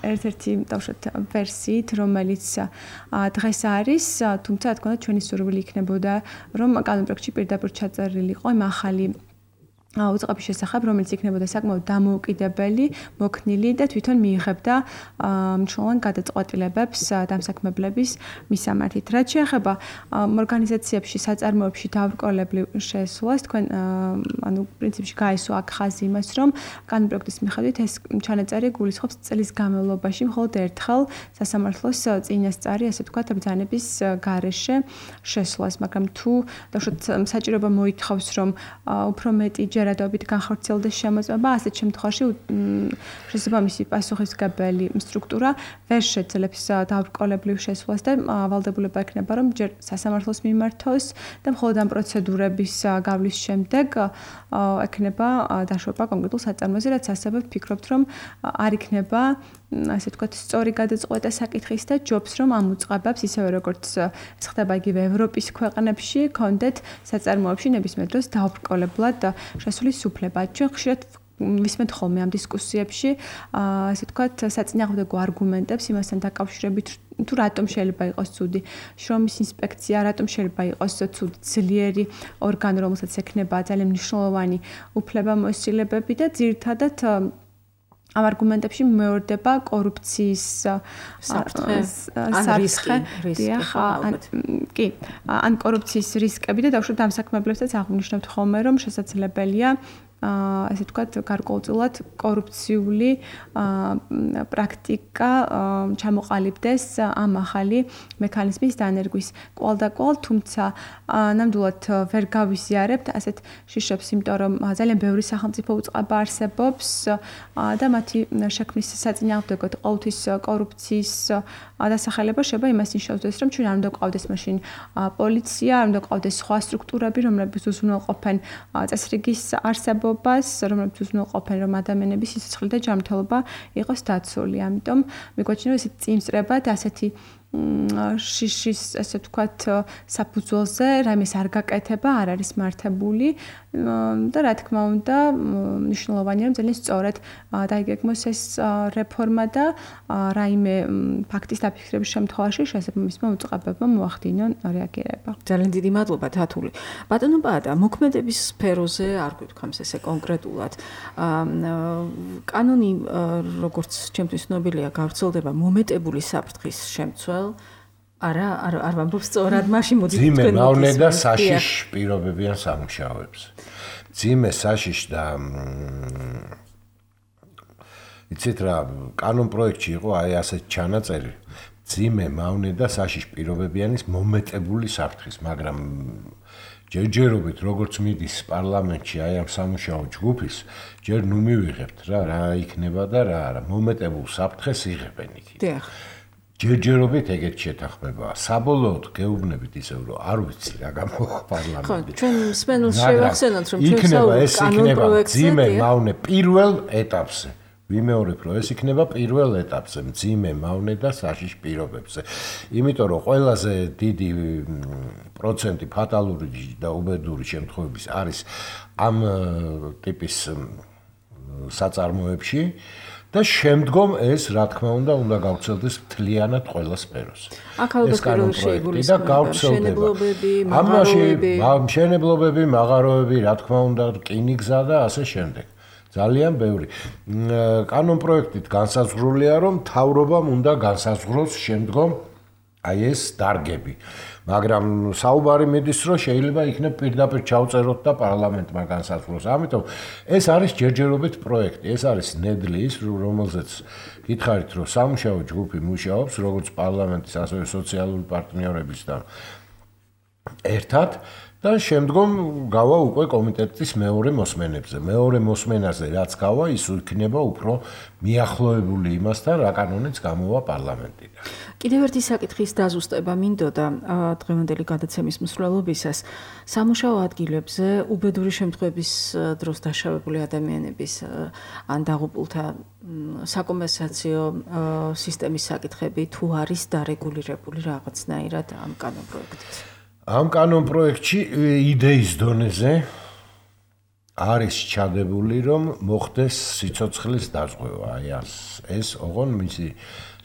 ერთ-ერთი დავუშვათ ვერსიით, რომელიც დღეს არის, თუმცა რა თქმა უნდა ჩვენი სურვილი იქნებოდა, რომ კანონპროექტში პირდაპირ ჩაწერილიყო იმ ახალი უწყების შესახებ, რომელიც იქნებოდა საკმაოდ დამოუკიდებელი, მოქნილი და თვითონ მიიღებდა მნიშვნელოვან გადაწყვეტილებებს დამსაქმებლების მისამართით. რაც შეეხება ორგანიზაციებში, საწარმოებში დავრკოლებრივ შესვლას, თქვენ ანუ პრინციპში გაესვა აქ ხაზი იმას, რომ კანონპროექტის მიხედვით ეს ჩანაწერი გულისხმობს წლის განმავლობაში მხოლოდ ერთხელ სასამართლოს წინასწარი, ასე ვთქვათ, ბრძანების გარეშე შესვლას, მაგრამ თუ დავუშვათ საჭიროება მოითხოვს, რომ უფრო მეტი ჯერადობით განხორციელდეს შემოწმება, ასეთ შემთხვევაში შესაბამისი პასუხისმგებელი სტრუქტურა ვერ შეძლებს დავრკოლებრივ შესვლას და ვალდებულება ექნება, რომ ჯერ სასამართლოს მიმართოს და მხოლოდ ამ პროცედურების გავლის შემდეგ ექნება დაშვება კონკრეტულ საწარმოზე, რაც ასევე ვფიქრობთ, რომ არ იქნება ასე ვთქვათ, სწორი გადაწყვეტა საკითხის და ჯობს, რომ ამ უწყებებს ისევე როგორც ეს ხდება იგივე ევროპის ქვეყნებში, კონდეთ საწარმოებში ნებისმიერ დროს დაუბრკოლებლად შესulis უფლება. ჩვენ ხშირად ვისმენთ ხოლმე ამ დისკუსიებში, ასე ვთქვათ, საწინააღმდეგო არგუმენტებს იმასთან დაკავშირებით, თუ რატომ შეიძლება იყოს ცუდი შრომის ინსპექცია, რატომ შეიძლება იყოს ცუდი ძლიერი ორგანო, რომელსაც ექნება ძალიან მნიშვნელოვანი უფლებამოსილებები და ძირითადად ამ არგუმენტებში მეორდება კორუფციის საფრთხე, კი, ან კორუფციის რისკები და დავუშვათ დამსაქმებლებსაც აღნიშნავთ ხოლმე, რომ შესაძლებელია ასე ვთქვათ, გარკვეულწილად კორუფციული პრაქტიკა ჩამოყალიბდეს ამ ახალი მექანიზმის დანერგვის კვალდაკვალ, თუმცა ნამდვილად ვერ გავიზიარებთ ასეთ შიშებს, იმიტომ რომ ძალიან ბევრი სახელმწიფო უწყება არსებობს და მათი შექმნის საწინააღმდეგოდ ყოველთვის კორუფციის დასახელება შეიძლება იმას ნიშნავს, რომ ჩვენ არ უნდა გვყავდეს მაშინ პოლიცია, არ უნდა გვყავდეს სხვა სტრუქტურები, რომლებიც უზრუნველყოფენ წესრიგის არსებობას, რომლებიც უზრუნველყოფენ, რომ ადამიანების სიცოცხლე და ჯანმრთელობა იყოს დაცული. ამიტომ მიგვაჩნია ესეთი წინსწრება და ასეთი შიშის ესე ვთქვათ საფუძველზე რაიმეს არ გაკეთება, არ არის მართებული და რა თქმა უნდა მნიშვნელოვანია რომ ძალიან სწორად დაიგეგმოს ეს რეფორმა და რაიმე ფაქტის დაფიქრების შემთხვევაში შესაბამისმა უწყებებმა მოახდინონ რეაგირება. ძალიან დიდი მადლობა თათული. ბატონო პაატა, მოქმედების სფეროზე არ გვიქხამს ესე კონკრეტულად. კანონი როგორც ჩემთვის ცნობილია გავრცელდება მომეტებული საფრთხის შემცველ არა არ ვამბობ სწორად მაშინ მოდით თქვენ ძიმე მავნე და საშიშ პირობებიან სამუშაოებს. ძიმე საშიშ და იცით რა კანონ პროექტში იყო აი ასეთ ჩანაწერი ძიმე მავნე და საშიშ პირობებიანის მომეტებული საფრთხის, მაგრამ ჯერჯერობით როგორც მიდის პარლამენტში აი ამ სამუშაო ჯგუფის ჯერ ნუ მივიღებთ რა იქნება და რა არა მომეტებულ საფრთხეს იღებენ იქით. დიახ. ჯერჯერობით ეგეთ შეთანხმებაა. საბოლოოდ გეუბნებით ისევ რომ არ ვიცი რა გამოვა პარლამენტში. ხო, ჩვენ მსმენელს შევახსენოთ რომ ჩვენ ეს იქნება ძიმე მავნე პირველ ეტაპზე. ვიმეორებ რომ ეს იქნება პირველ ეტაპზე, ძიმე მავნე და საშიშ პირობებზე. იმიტომ რომ ყველაზე დიდი პროცენტი ფატალური და უბედური შემთხვევების არის ამ ტიპის საწარმოებში და შემდგომ ეს რა თქმა უნდა გავრცელდეს მთლიანად ყველა სფეროს. ეს კანონი შეიგულისხმება მშენებლობები, მაღაროები, მშენებლობები, მაღაროები, რა თქმა უნდა, რკინიგზა და ასე შემდეგ. ძალიან ბევრი. კანონ პროექტით განსაზღვრულია, რომ მთავრობამ უნდა განსაზღვროს შემდგომ აი ეს დარგები. მაგრამ საუბარი მიდის, რომ შეიძლება იქნებ პირდაპირ ჩავწეროთ და პარლამენტმა განსაზღვროს. ამიტომ ეს არის ჯერჯერობით პროექტი, ეს არის ნედლი ის, რომელზეც გითხარით, რომ სამუშაო ჯგუფი მუშაობს, როგორც პარლამენტის, ასევე სოციალური პარტნიორებისთან ერთად. და შემდგომ გავა უკვე კომიტეტის მეორე მოსმენებზე. მეორე მოსმენაზე რაც გავა, ის იქნება უფრო მიახლოებული იმასთან, რა კანონიც გამოვა პარლამენტიდან. კიდევ ერთი საკითხის დაზუსტება მინდოდა დღევანდელი გადაცემის მსვლელობისას. სამუშაო ადგილებზე უბედური შემთხვევების დროს დაშავებული ადამიანების ან დაღუპულთა საკომპენსაციო სისტემის საკითხები თუ არის დარეგულირებული რაღაცნაირად ამ კანონ პროექტით. ამ კანონ პროექტში იდეის დონეზე არის ჩადებული, რომ მოხდეს სიცოცხლის დაზღვევა. აი ეს ოღონ მისი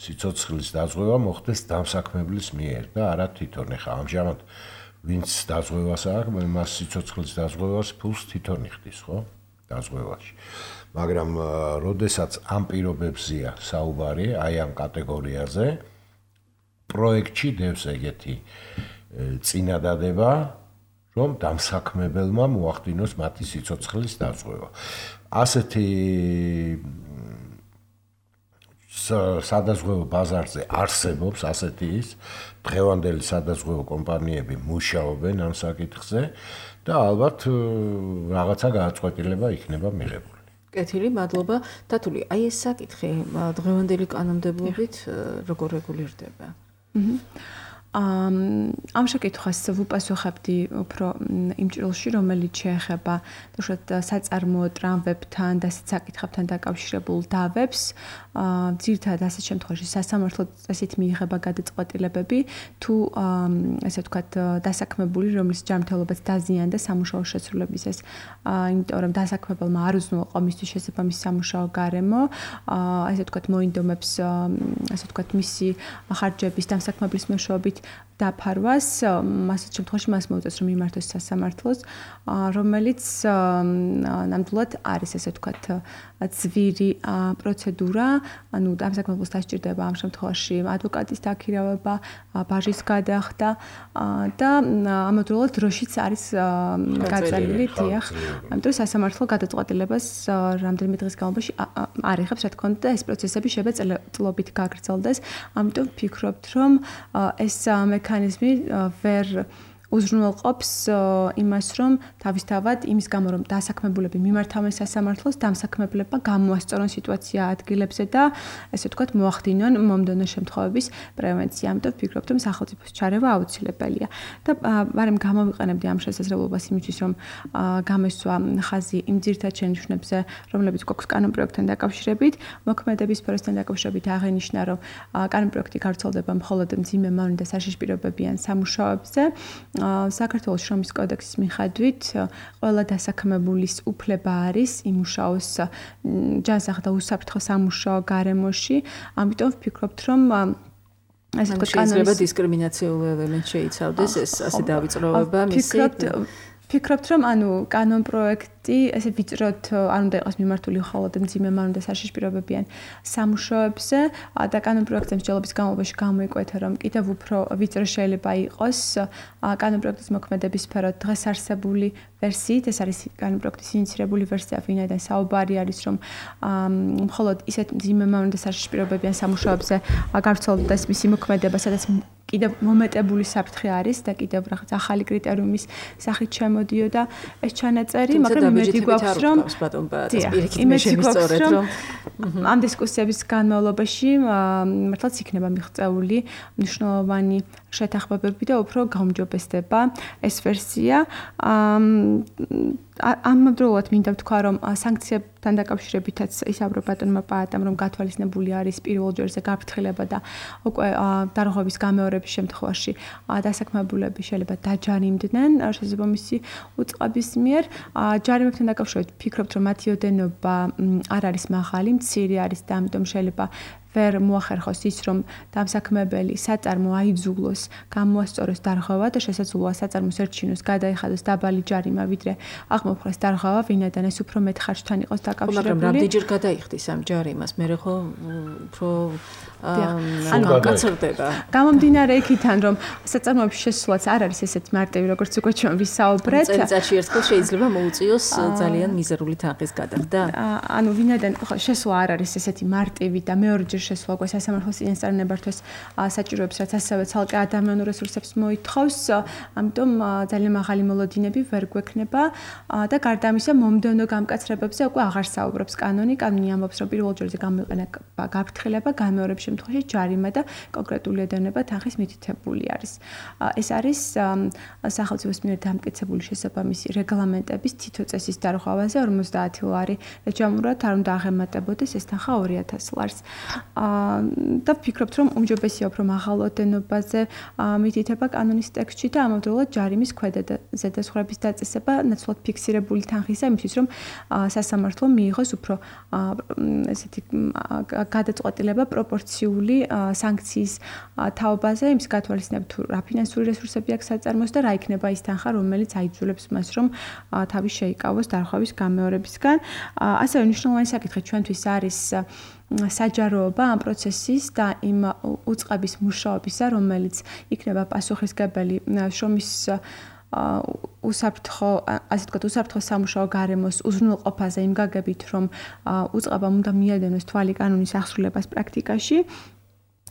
სიცოცხლის დაზღვევა მოხდეს დამსაქმებლის მიერ და არა თვითონ. ეხა ამჟამად ვინც დაზღვევას აქვს, მას სიცოცხლის დაზღვევას ფულს თვითონ იხდის, ხო? დაზღვევაში. მაგრამ როდესაც ამ პირობებზია საუბარი, აი ამ კატეგორიაზე, პროექტში დევს ეგეთი წინადადება, რომ დამსაქმებელმა მოახდინოს მათი სიცოცხლის დაზღვევა. ასეთი სადაზღვევო ბაზარზე არსებობს ასეთი ის დღევანდელი სადაზღვევო კომპანიები მუშაობენ ამ საკითხზე და ალბათ რაღაცა გააწყვეტილება იქნება მიღებული. კეთილი, მადლობა. თათული, აი ეს საკითხი დღევანდელი კანონმდებლობით როგორ რეგულირდება? ამ შეკითხვას ვუპასუხებდი უფრო იმ ჭრილში, რომელიც შეეხება საწარმოო ტრამვებთან და საკითხებთან დაკავშირებულ დავებს. ძირითადად ასეთ შემთხვევაში სასამართლოდ ესეთ მიიღება გადაწყვეტილებები, თუ ესე ვთქვათ, დასაქმებული, რომლის ჯანმრთელობაც დაზიანდა სამუშაო შესრულებისას, იმიტომ რომ დასაქმებელმა არ უზრუნველყო მისთვის შესაბამისი სამუშაო გარემო, ესე ვთქვათ, მოინდომებს, ესე ვთქვათ, მისი ხარჯების დამსაქმებლის მეშვეობით დაფარვას, ასეთ შემთხვევაში მას მოუწევს, რომ მიმართოს სასამართლოს, რომელიც ნამდვილად არის, ესე ვთქვათ, ძვირი პროცედურა, ანუ დამსაქმებელს დასჭირდება ამ შემთხვევაში ადვოკატის დაქირავება, ბაჟის გადახდა და ამავდროულად დროშიც არის გაწეული, დიახ. ამიტომ სასამართლო გადაწყვეტილებას რამდენიმე დღის განმავლობაში არ იღებს, რა თქმა უნდა, და ეს პროცესები შეიძლება წლობით გაგრძელდეს. ამიტომ ვფიქრობთ, რომ ეს მექანიზმი ვერ უზრუნველყოფს იმას, რომ თავისთავად იმის გამო, რომ დასაქმებულები მიმართავენ სასამართლოს, დამსაქმებლებმა გამოასწორონ სიტუაცია ადგილებზე და ესე ვთქვათ, მოახდინონ მომდევნო შემთხვევების პრევენცია. ამიტომ ვფიქრობ, რომ სახელმწიფოს ჩარევა აუცილებელია. და ვარემ გამოვიყენებდი ამ შესაძლებლობას იმისთვის, რომ გამესვა ხაზი იმ ძირითად შენიშვნებზე, რომლებიც გვაქვს კანონპროექტთან დაკავშირებით, მოქმედების სფეროსთან დაკავშირებით აღინიშნა, რომ კანონპროექტი გავრცელდება მხოლოდ მძიმე მავნე და საშიშპირებებიან სამუშაოებზე. საქართველოს შრომის კოდექსის მიხედვით ყველა დასაქმებულის უფლება არის იმუშაოს ჯანსაღ და უსაფრთხო სამუშაო გარემოში. ამიტომ ვფიქრობთ, რომ ასე თქვა შეიძლება დისკრიმინაციული ელემენტი შეიცავდეს ეს ასე დავიწყროვება მისი ვფიქრობთ, რომ კანონპროექტი ესე ვიწროთ არ უნდა იყოს მიმართული მხოლოდ მძიმე მავნე და საშიშპირებებიან სამუშაოებზე და კანონპროექტის მსჯელობის განმავლობაში გამოიკვეთა, რომ კიდევ უფრო ვიწრო შეიძლება იყოს კანონპროექტის მოქმედების სფერო დღეს არსებული ვერსიით, ეს არის კანონპროექტის ინიცირებული ვერსია, ვინაიდან საუბარი არის, რომ მხოლოდ ისეთ მძიმე მავნე და საშიშპირებებიან სამუშაოებზე გავრცელდეს მისი მოქმედება, სადაც კიდევ მომეტებული საფრთხე არის და კიდევ რაღაც ახალი კრიტერიუმის სახით შემოდიოდა ეს ჩანაწერი, მაგრამ იმედი გვაქვს, რომ ამ დისკუსიების განმავლობაში მართლაც იქნება მიღწეული მნიშვნელოვანი შეთანხმებები და უფრო გაუმჯობესდება ეს ვერსია. ამავდროულად მინდა ვთქვა, რომ სანქციებთან დაკავშირებითაც ისაუბრა ბატონმა პაატამ, რომ გათვალისწინებული არის პირველ ჯერზე გაფრთხილება და უკვე დარღვევის გამეორების შემთხვევაში დასაქმებულები შეიძლება დაჯარიმდნენ შესაბამისი უწყების მიერ. ჯარიმებთან დაკავშირებით ვფიქრობთ, რომ მათი ოდენობა არ არის მაღალი, მცირე არის და ამიტომ შეიძლება ვერ მოახერხოს ის, რომ დამსაქმებელი საწარმო აიძულოს, გამოასწოროს დარღვევა და შესაძლოა საწარმოს ერჩინოს, გადაიხადოს დაბალი ჯარიმა, ვიდრე აღმოფხვრას დარღვევა, ვინაიდან ეს უფრო მეტ ხარჯთან იყოს დაკავშირებული. მაგრამ რამდენჯერ გადაიხდის ამ ჯარიმას, მე ხო უფრო გაცილდება. გამომდინარე იქიდან, რომ საწარმოების შესვლაც არ არის ესეთ მარტივი, როგორც უკვე ჩვენ ვისაუბრეთ. წელიწადში ერთხელ შეიძლება მოუწიოს ძალიან მიზერული თანხის გადახდა. ანუ ვინაიდან შესვლა არ არის ესეთი მარტივი და მეორეჯერ შესვლა უკვე სასამართლოს წინასწარ ნებართვას საჭიროებს, რაც ასევე ცალკე ადამიანურ რესურსებს მოითხოვს, ამიტომ ძალიან მაღალი მოლოდინები ვერ გვექნება და გარდა ამისა მომდევნო გამკაცრებებზე უკვე აღარ საუბრობს კანონი. კანონი ამბობს, რომ პირველ ჯერზე გამოიყენა გაფრთხილება, გამეორების შემთხვევაში ჯარიმა და კონკრეტული ოდენობა თანხის მითითებული არის. ეს არის სახელმწიფოს მიერ დამტკიცებული შესაბამისი რეგლამენტების თითო წესის დარღვევაზე 50 ლარი და ჯამურად არ უნდა აღემატებოდეს ეს თანხა 2000 ლარს. და ვფიქრობთ, რომ უმჯობესია უფრო მაღალ ოდენობაზე მითითება კანონის ტექსტში და ამავდროულად ჯარიმის ქვედა და ზედაზღვრების დაწესება ნაცვლად ფიქსირებული თანხისა, იმისთვის რომ სასამართლო მიიღოს უფრო ესეთი გადაწყვეტილება პროპორციული სანქციის თაობაზე, იმის გათვალისწინებით თუ რა ფინანსური რესურსები აქვს საწარმოს და რა იქნება ის თანხა, რომელიც აიძულებს მას, რომ თავი შეიკავოს დარღვევის გამეორებისგან. ასევე მნიშვნელოვანი საკითხი ჩვენთვის არის საჯაროობა ამ პროცესის და იმ უწყების მუშაობისა, რომელიც იქნება პასუხისმგებელი შრომის უსაფრთხო, ასე ვთქვათ, უსაფრთხო სამუშაო გარემოს უზრუნველყოფაზე იმ გაგებით, რომ უწყებამ უნდა მიადენოს თვალი კანონის აღსრულებას პრაქტიკაში.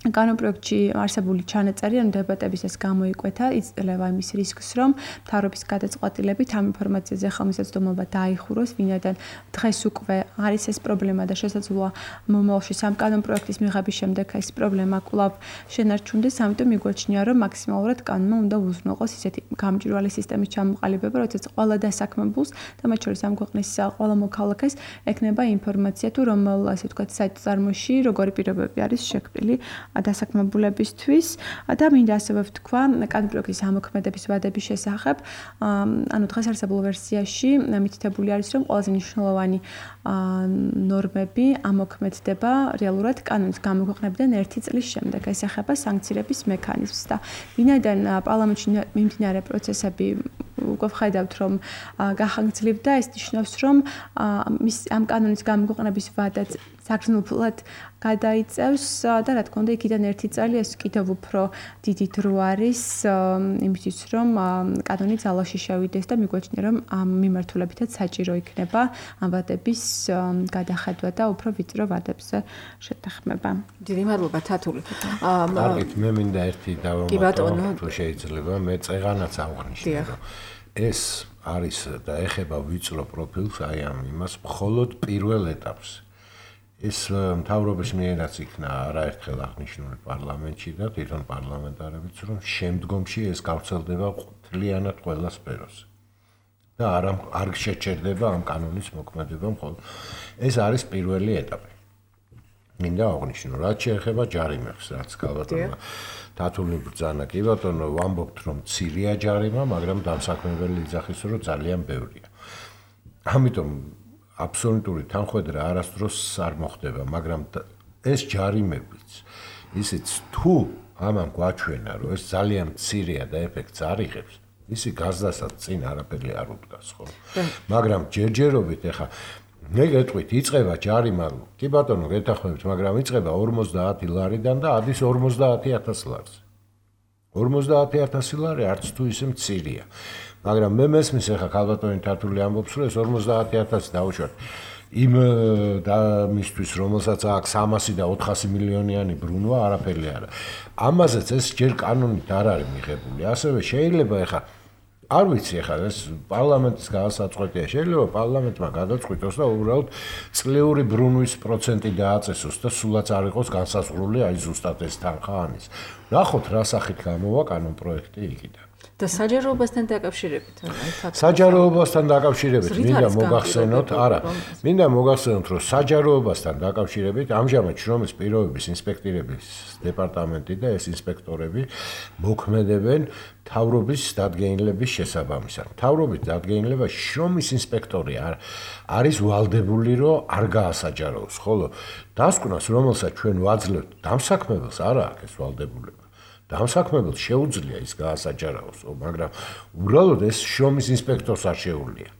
კანონპროექტში არსებული ჩანაწერი ან დებატებისას გამოიკვეთა, იძლევა იმის რისკს, რომ მთავრობის გადაწყვეტილებით ამ ინფორმაციაზე ხელმისაწვდომობა დაიხუროს, ვინაიდან დღეს უკვე არის ეს პრობლემა და შესაძლოა მომავალში სამ კანონპროექტის მიღების შემდეგ ეს პრობლემა კვლავ შენარჩუნდეს, ამიტომ მიგვაჩნია, რომ მაქსიმალურად კანონმა უნდა უზრუნველყოს ისეთი გამჭვირვალე სისტემის ჩამოყალიბება, როდესაც ყველა დასაქმებულს და მათ შორის ამ ქვეყნის ყველა მოქალაქეს ექნება ინფორმაცია თუ რომელ, ასე ვთქვათ, საწარმოში როგორი პირობები არის შექმნილი დასაქმებულებისთვის და მინდა ასევე ვთქვა კანონპროექტის ამოქმედების ვადების შესახებ. ანუ დღეს არსებულ ვერსიაში მითითებული არის, რომ ყველაზე მნიშვნელოვანი ნორმები ამოქმედდება რეალურად კანონის გამოქვეყნებიდან 1 წლის შემდეგ. ეს ეხება სანქცირების მექანიზმს და ვინაიდან პარლამენტში მიმდინარე პროცესები უკვე ვხედავთ რომ გახანგრძლივდა ეს ნიშნავს რომ ამ კანონის გამოყენების ვადაც საგრძნობლად გადაიწევს და რა თქმა უნდა იქიდან ერთი წელი ეს კიდევ უფრო დიდი დრო არის იმისთვის რომ კანონი ძალაში შევიდეს და მიგვაჩნია რომ ამ მიმართულებითაც საჭირო იქნება ამ ვადების გადახედვა და უფრო ვიწრო ვადებზე შეთანხმება. დიდი მადლობა თათული. კარგით, მე მინდა ერთი დავამატო, თუ შეიძლება, მე წეღანაც აღვნიშნე, რომ ეს არის და ეხება ვიწრო პროფილს აი ამ იმას მხოლოდ პირველ ეტაპს. ეს მთავრობის მიერაც იქნა არაერთხელ აღნიშნული პარლამენტში და თვითონ პარლამენტარებიც რომ შემდგომში ეს გავრცელდება მთლიანად ყველა სფეროზე. და არ შეჩერდება ამ კანონის მოქმედება მხოლოდ. ეს არის პირველი ეტაპი. მინდა აღვნიშნო, რაც შეეხება ჯარიმებს, რაც ქალბატონმა თათული ბრძანა, კი ბატონო, ვამბობთ რომ მცირეა ჯარიმა, მაგრამ დამსაქმებელი იძახის რომ ძალიან ბევრია. ამიტომ აბსოლუტური თანხმედრა არასდროს არ მოხდება, მაგრამ ეს ჯარიმებიც ისიც თუ ამან გვაჩვენა, რომ ეს ძალიან მცირეა და ეფექტს არ იღებს, ისი გაზდასაც წინ არაფერი არ უდგას, ხო? მაგრამ ჯერჯერობით ეხა მე გეტყვით, იწება ჯარიმა, კი ბატონო, გეთანხმებით, მაგრამ იწება 50 ლარიდან და ადის 50,000 ლარზე. 50,000 ლარი არც თუ ისე მცირეა. მაგრამ მე მესმის ახლა ქალბატონი თათული ამბობს, რომ ეს 50,000 დაუშვათ იმ და მისთვის, რომელსაც აქვს 300 და 400 მილიონიანი ბრუნვა, არაფერი არა. ამაზეც ეს ჯერ კანონით არ არის მიღებული. ასევე შეიძლება ახლა არ ვიცი ახლა ეს პარლამენტის განსაწყვეტია. შეიძლება პარლამენტმა გადაწყვიტოს და უბრალოდ წლიური ბრუნვის პროცენტი დააწესოს და სულაც არ იყოს განსაზღვრული აი ზუსტად ეს თანხა ანის. ნახოთ რა სახით გამოვა კანონ პროექტი იქიდან. და საჯაროებასთან დაკავშირებით საჯაროებასთან დაკავშირებით მინდა მოგახსენოთ, არა, მინდა მოგახსენოთ, რომ საჯაროებასთან დაკავშირებით ამჟამად შრომის პირობების ინსპექტორების დეპარტამენტი და ეს ინსპექტორები მოქმედებენ მთავრობის დადგენილების შესაბამისად. მთავრობის დადგენილებაში შრომის ინსპექტორი არის ვალდებული, რომ არ გაასაჯაროოს, ხოლო დასკვნას, რომელსაც ჩვენ ვაძლევთ, დამსაქმებელს არ აქვს ეს ვალდებულება. დამსაქმებელს შეუძლია ის გაასაჯაროოს, მაგრამ უბრალოდ ეს შრომის ინსპექტორს არ შეუძლია.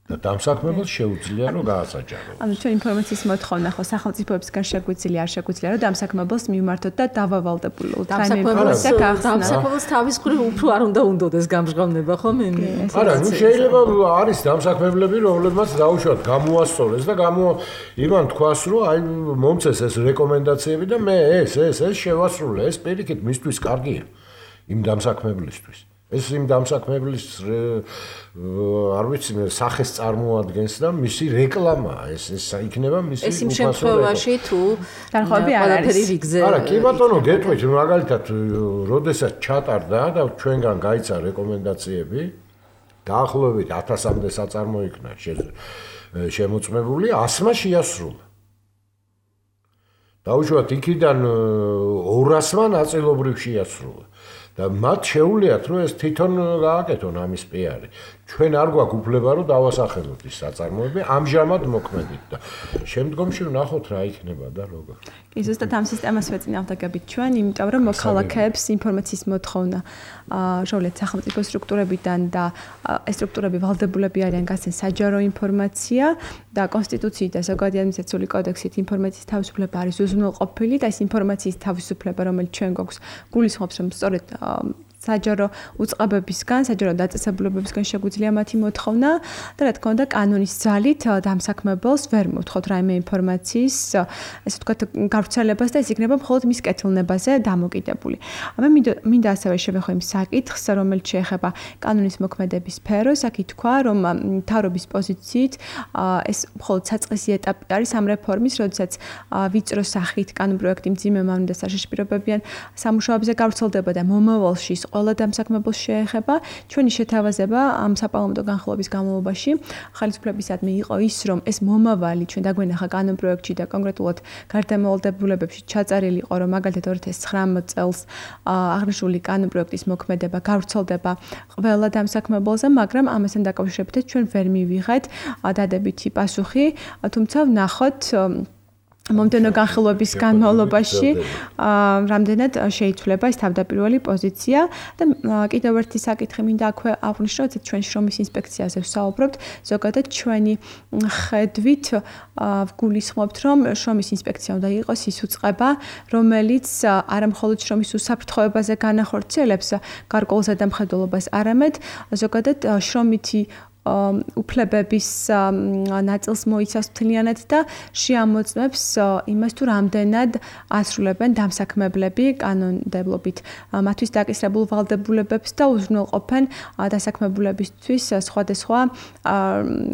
და დამსაქმებელს შეუძლია რომ გაასაჯაროოს. ანუ ჩვენ ინფორმაციის მოთხოვნა ხო სახელმწიფოებისგან შეგვიძლია, არ შეგვიძლია რომ დამსაქმებელს მივმართოთ და დავავალდებულოთ. დამსაქმებელს თავის მხრივ უფრო არ უნდა უნდოდეს გამჟღავნება, ხო მე? არა, ნუ შეიძლება არის დამსაქმებლები, რომლებმაც დაუშვათ გამოასწორეს და იმან თქვას, რომ აი მომწეს ეს რეკომენდაციები და მე ეს შევასრულე, ეს პირიქით მისთვის კარგია იმ დამსაქმებლისთვის. ეს იმ დამსაქმებლის არ ვიცი მე სახეს წარმოადგენს და მისი რეკლამაა ეს იქნება მისი ეს იმ შემთხვევაში თუ თანხმები არ არის არა კი ბატონო გეტყვით მაგალითად როდესაც ჩატარდა და ჩვენგან გაიცა რეკომენდაციები დაახლოებით 1000-მდე საწარმო იქნა შემოწმებული 100-მა შეასრულა დაუშვათ იქიდან 200-მა ნაწილობრივ შეასრულა და მათ შეუძლიათ რომ ეს თვითონ გააკეთონ ამის პიარი. ჩვენ არ გვაქვს უფლება რომ დავასახელოთ ის საწარმოები ამჟამად მოქმედით და შემდგომში ვნახოთ რა იქნება და როგორ. კი, ზუსტად ამ სისტემას ვეწინააღმდეგებით ჩვენ, იმიტომ რომ მოქალაქეებს ინფორმაციის მოთხოვნა შოვლეთ სახელმწიფო სტრუქტურებიდან და ეს სტრუქტურები ვალდებულები არიან გასცენ საჯარო ინფორმაცია და კონსტიტუციით და ზოგადი ადმინისტრაციული კოდექსით ინფორმაციის თავისუფლება არის უზრუნველყოფილი და ეს ინფორმაციის თავისუფლება რომელიც ჩვენ გვაქვს გულისხმობს რომ სწორედ საჯარო უწყებებისგან, საჯარო დაწესებულებებისგან შეგვიძლია მათი მოთხოვნა და რა თქმა უნდა კანონის ძალით დამსაქმებელს ვერ მოთხოვთ რაიმე ინფორმაციის, ესე ვთქვათ, გავრცელებას და ეს იქნება მხოლოდ მის კეთილნებაზე დამოკიდებული. მე მინდა ასევე შევეხო იმ საკითხს, რომელიც შეეხება კანონის მოქმედების სფეროს, აქ ითქვა, რომ მთავრობის პოზიციით ეს მხოლოდ საწყისი ეტაპი არის ამ რეფორმის, როდესაც ვიწრო სახით კანონ პროექტი მძიმე მავნე და საშიში პირობებიან სამუშაოებზე გავრცელდება და მომავალში ყველა დამსაქმებელს შეეხება. ჩვენი შეთავაზება ამ საპარლამენტო განხილვების განმავლობაში ხელისუფლებისადმი იყო ის, რომ ეს მომავალი ჩვენ დაგვენახა კანონ პროექტში და კონკრეტულად გარდამავალდებულებებში ჩაწერილი იყო, რომ მაგალითად 2019 წელს აღნიშნული კანონ პროექტის მოქმედება გავრცელდება ყველა დამსაქმებელზე, მაგრამ ამასთან დაკავშირებით ჩვენ ვერ მივიღეთ დადებითი პასუხი, თუმცა ვნახოთ მომდევნო განხილვების განმავლობაში რამდენად შეიცვლება ეს თავდაპირველი პოზიცია და კიდევ ერთი საკითხი მინდა აქვე აღვნიშნო, რომ ჩვენ შრომის ინსპექციაზე ვსაუბრობთ, ზოგადად ჩვენი ხედვით ვგულისხმობთ, რომ შრომის ინსპექცია უნდა იყოს ის უწყება, რომელიც არა მხოლოდ შრომის უსაფრთხოებაზე განახორციელებს გარკვეულ ზედამხედველობას, არამედ ზოგადად შრომითი უფლებების ნაწილს მოიცავს მთლიანად და შეამოწმებს იმას, თუ რამდენად ასრულებენ დამსაქმებლები კანონმდებლობით მათთვის დაკისრებულ ვალდებულებებს და უზრუნველყოფენ დასაქმებულებისთვის სხვადასხვა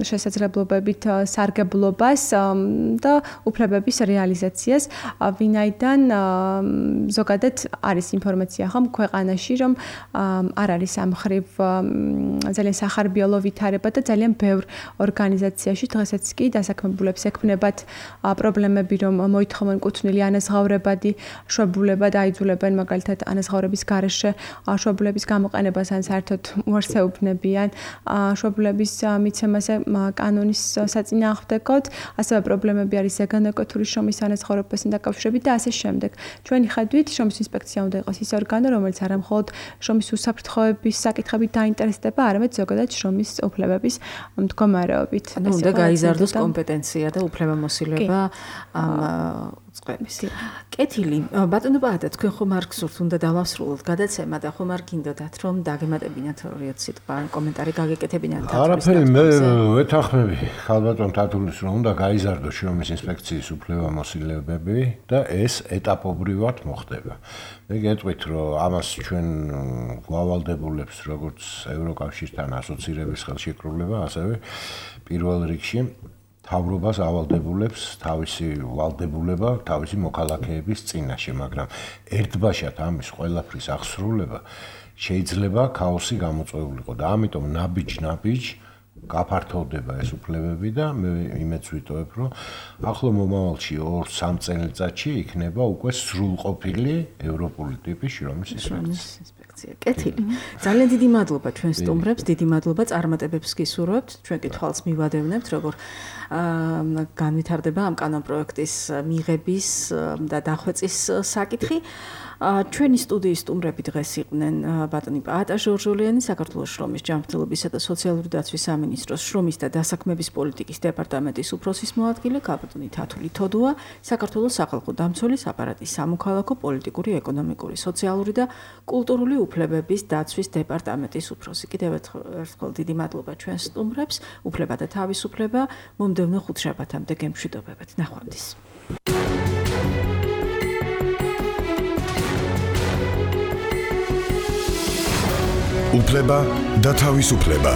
შესაძლებლობებით სარგებლობას და უფლებების რეალიზაციას, ვინაიდან ზოგადად არის ინფორმაცია ხომ ქვეყანაში, რომ არ არის ამ მხრივ ძალიან სახარბიელო ვითარება და ძალიან ბევრ ორგანიზაციაში დღესაც კი დასაქმებულებს ექმნებათ პრობლემები, რომ მოითხოვენ კუთვნილი ანაზღაურებადი შვებულება და აიძულებენ მაგალითად ანაზღაურების გარეშე შვებულების გამოყენებას, ან საერთოდ უარსეუბნებიან შვებულების მიცემაზე კანონის საწინააღმდეგოდ, ასევე პრობლემები არის ზეგანაკეთური შრომის ანაზღაურებასთან დაკავშირებით და ასე შემდეგ. ჩვენი ხედვით შრომის ინსპექცია უნდა იყოს ის ორგანო, რომელიც არა მხოლოდ შრომის უსაფრთხოების საკითხებით დაინტერესდება, არამედ ზოგადად შრომის უფლებების მდგომარეობით. ანუ უნდა გაიზარდოს კომპეტენცია და უფლებამოსილება ამ წყების. კეთილი, ბატონო ბაადა, თქვენ ხომ არ გსურთ უნდა დავასრულოთ გადაცემა და ხომ არ გინდოდათ რომ დაგემატებინათ ორი სიტყვა, კომენტარი გაგეკეთებინათ? არაფერი, მე ვეთანხმები ხალბატონ თათულის რომ უნდა გაიზარდოს შრომის ინსპექციის უფლებამოსილებები და ეს ეტაპობრივად მოხდება. მე გეტყვით რომ ამას ჩვენ გვავალდებულებს როგორც ევროკავშირთან ასოცირების ხელშეკრულება, ასევე პირველ რიგში თავრობას ავალდებულებს თავისი ვალდებულება თავისი მოქალაქეების წინაშე, მაგრამ ერთბაშად ამის ყველაფრის აღსრულება შეიძლება ქაოსი გამოწვეულიყო და ამიტომ ნაბიჯ გაფართოვდება ეს უფლებები და მე იმედს ვიტოვებ, რომ ახლო მომავალში 2-3 წელიწადში იქნება უკვე სრულყოფილი ევროპული ტიპის შრომის ინსპექცია. კეთილი. ძალიან დიდი მადლობა ჩვენ სტუმრებს, დიდი მადლობა წარმატებებს გისურვებთ. ჩვენ კითხვას მივადევნებთ, როგორ განვითარდება ამ კანონპროექტის მიღების და დახვეწის საკითხი. ჩვენი სტუდიის სტუმრები დღეს იყვნენ ბატონი პაატა ჟორჟოლიანი, საქართველოს შრომის ჯანმრთელობისა და სოციალური დაცვის სამინისტროს შრომის და დასაქმების პოლიტიკის დეპარტამენტის უფროსის მოადგილე, ბატონი თათული თოდუა, საქართველოს სახალხო დამცველის აპარატის სამოქალაქო, პოლიტიკური, ეკონომიკური, სოციალური და კულტურული უფლებების დაცვის დეპარტამენტის უფროსი. კიდევ ერთხელ დიდი მადლობა ჩვენ სტუმრებს, უფლება და თავისუფლება მომდევნო ხუთშაბათამდე გემშვიდობებთ. ნახვამდის. უფლება და თავისუფლება.